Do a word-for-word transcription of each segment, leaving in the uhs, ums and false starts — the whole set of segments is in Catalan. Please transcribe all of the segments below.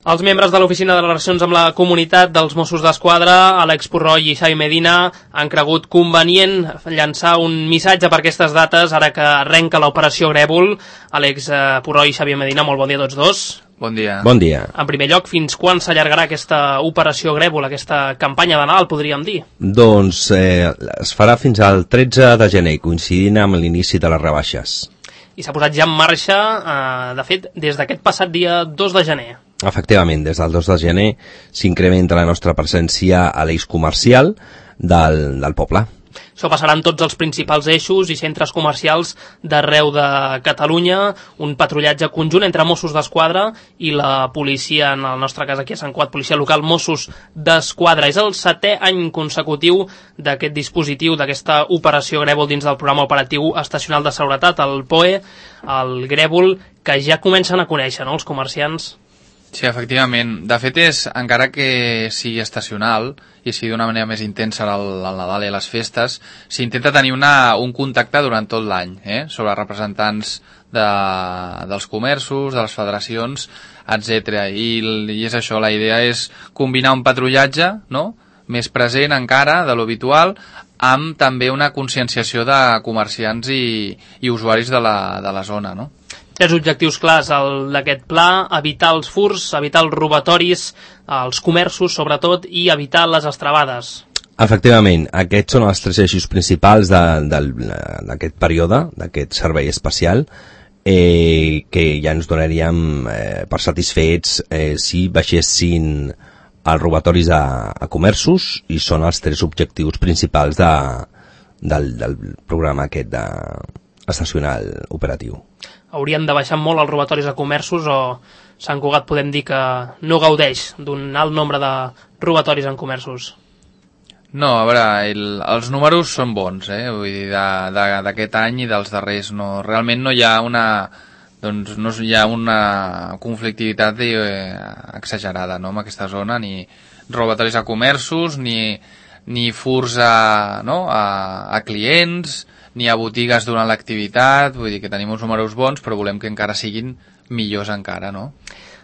Els membres de l'Oficina de Relacions amb la Comunitat dels Mossos d'Esquadra, Àlex Purroy i Xavi Medina, han cregut convenient llançar un missatge per aquestes dates, ara que arrenca l'operació Grèvol. Àlex Purroy i Xavi Medina, molt bon dia a tots dos. Bon dia. Bon dia. En primer lloc, fins quan s'allargarà aquesta operació Grèvol, aquesta campanya de Nadal, podríem dir? Doncs eh, es farà fins al tretze de gener, coincidint amb l'inici de les rebaixes. I s'ha posat ja en marxa, eh, de fet, des d'aquest passat dia dos de gener. Efectivament, des del dos de gener s'incrementa la nostra presència a l'eix comercial del, del poble. Això passarà en tots els principals eixos i centres comercials d'arreu de Catalunya, un patrullatge conjunt entre Mossos d'Esquadra i la policia, en el nostre cas aquí a Sant Cugat, policia local Mossos d'Esquadra. És el setè any consecutiu d'aquest dispositiu, d'aquesta operació Grèvol dins del programa operatiu estacional de seguretat, el P O E, el Grèvol, que ja comencen a conèixer, no?, els comerciants. Sí, efectivament. De fet, és, encara que sigui estacional i sigui d'una manera més intensa al, al Nadal i a les festes, s'intenta tenir una, un contacte durant tot l'any, eh? sobre representants de, dels comerços, de les federacions, etcètera. I, I és això, la idea és combinar un patrullatge, no?, més present encara de l'habitual, amb també una conscienciació de comerciants i, i usuaris de la, de la zona, no? Tres objectius clars d'aquest pla: evitar els furts, evitar els robatoris, els comerços sobretot, i evitar les estravades. Efectivament, aquests són els tres eixos principals d'aquest període, d'aquest servei especial, eh, que ja ens donaríem eh, per satisfets eh, si baixessin els robatoris a, a comerços, i són els tres objectius principals de, del, del programa aquest de, estacional operatiu. Haurien de baixar molt els robatoris a comerços, o Sant Cugat podem dir que no gaudeix d'un alt nombre de robatoris en comerços? No, a veure, el, els números són bons, eh? Vull dir, d'aquest any i dels darrers. No, realment no hi ha una, doncs, no hi ha una conflictivitat eh, exagerada, no?, en aquesta zona, ni robatoris a comerços, ni, ni furs a, no?, a, a clients, ni a botigues durant l'activitat. Vull dir que tenim uns números bons, però volem que encara siguin millors encara, no?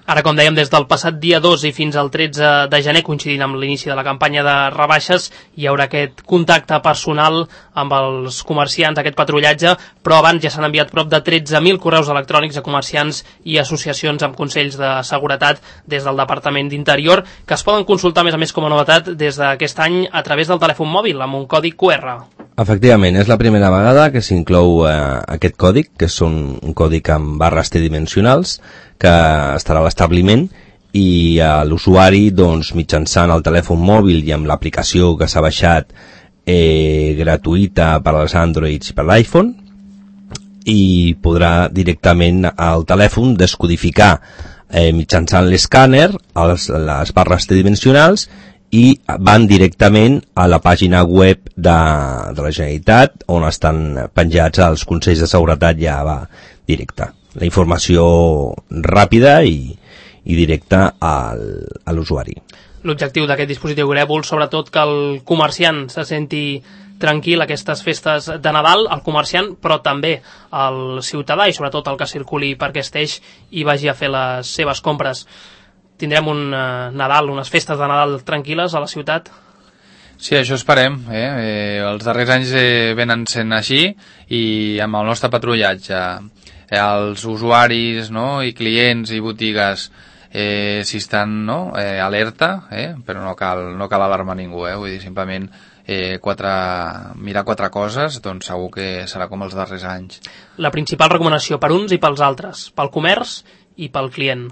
Ara, com dèiem, des del passat dia dos i fins al tretze de gener, coincidint amb l'inici de la campanya de rebaixes, hi haurà aquest contacte personal amb els comerciants, aquest patrullatge, però abans ja s'han enviat prop de tretze mil correus electrònics a comerciants i associacions amb consells de seguretat des del Departament d'Interior, que es poden consultar, a més a més, com a novetat des d'aquest any a través del telèfon mòbil, amb un codi Q R. Efectivament, és la primera vegada que s'inclou eh, aquest còdic, que és un, un còdic amb barres tridimensionals, que estarà a l'establiment, i eh, l'usuari, doncs, mitjançant el telèfon mòbil i amb l'aplicació que s'ha baixat eh, gratuïta per als Androids i per l'iPhone, i podrà directament al telèfon descodificar eh, mitjançant l'escàner les barres tridimensionals, i van directament a la pàgina web de, de la Generalitat, on estan penjats els consells de seguretat. Ja va directa la informació ràpida i, i directa al, a l'usuari. L'objectiu d'aquest dispositiu Grèvol, sobretot que el comerciant se senti tranquil aquestes festes de Nadal, el comerciant, però també el ciutadà, i sobretot el que circuli per aquest eix i vagi a fer les seves compres. Tindrem un uh, Nadal, unes festes de Nadal tranquil·les a la ciutat? Sí, això esperem. Eh? Eh, els darrers anys eh, venen sent així, i amb el nostre patrullatge, eh, els usuaris, no?, i clients i botigues, eh, si estan, no?, eh, alerta, eh? però no cal, no cal alarmar ningú, eh? Vull dir, simplement eh, quatre, mirar quatre coses, doncs segur que serà com els darrers anys. La principal recomanació per uns i pels altres, pel comerç i pel client?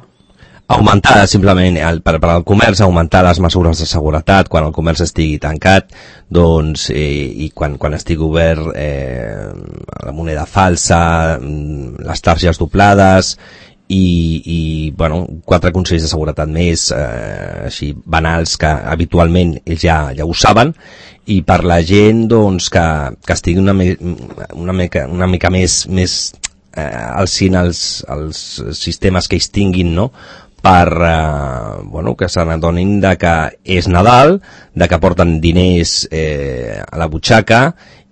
Augmentar, simplement, el, per, per al comerç, augmentar les mesures de seguretat quan el comerç estigui tancat, doncs, eh, i quan, quan estigui obert eh, la moneda falsa, les targes doblades, i, i bueno, quatre consells de seguretat més, eh, així banals, que habitualment ells ja, ja ho saben, i per la gent, doncs, que, que estigui una, una, mica, una mica més, més eh, al cine els, els sistemes que ells tinguin, no?, per eh, bueno, que se n'adonin de que és Nadal, de que porten diners eh, a la butxaca,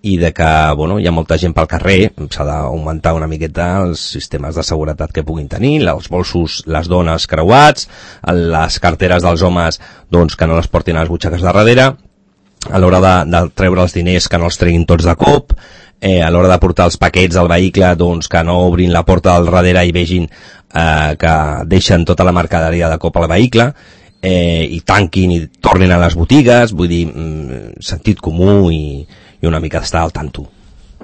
i de que bueno, hi ha molta gent pel carrer, s'ha d'augmentar una miqueta els sistemes de seguretat que puguin tenir, els bolsos, les dones creuats, les carteres dels homes doncs, que no les portin a les butxaques de darrere, a l'hora de, de treure els diners que no els treguin tots de cop, eh, a l'hora de portar els paquets al vehicle doncs, que no obrin la porta del darrere i vegin eh, que deixen tota la mercaderia de cop al vehicle, eh, i tanquin i tornin a les botigues, vull dir, mm, sentit comú i, i una mica estar al tanto.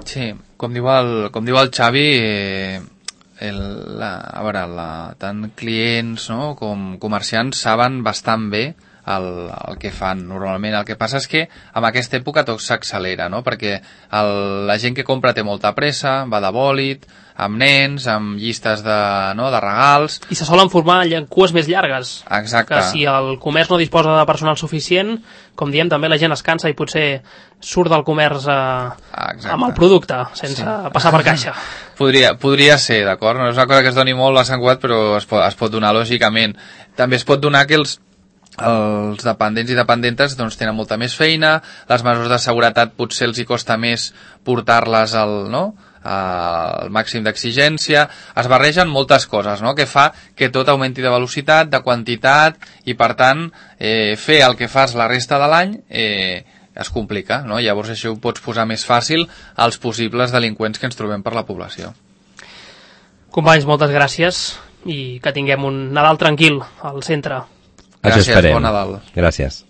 Sí, com diu el, com diu el Xavi, eh, el, la, a veure, la, tant clients no, com comerciants saben bastant bé el, el que fan normalment. El que passa és que en aquesta època tot s'accelera, no? Perquè el, la gent que compra té molta pressa, va de bòlit, amb nens, amb llistes de, no, de regals... I se solen formar cues més llargues. Exacte. Que si el comerç no disposa de personal suficient, com diem, també la gent es cansa i potser surt del comerç eh, amb el producte, sense sí. passar per caixa. Podria, podria ser, d'acord? No és una cosa que es doni molt a Sant Cugat, però es pot, es pot donar lògicament. També es pot donar que els els dependents i dependentes doncs, tenen molta més feina, les mesures de seguretat potser els hi costa més portar-les al, no? al màxim d'exigència, es barregen moltes coses, no? Que fa que tot augmenti de velocitat, de quantitat, i per tant eh, fer el que fas la resta de l'any eh, es complica, no? Llavors això ho pots posar més fàcil als possibles delinqüents que ens trobem per la població. Companys, moltes gràcies i que tinguem un Nadal tranquil al centre. Gràcies, bon Nadal. Gràcies.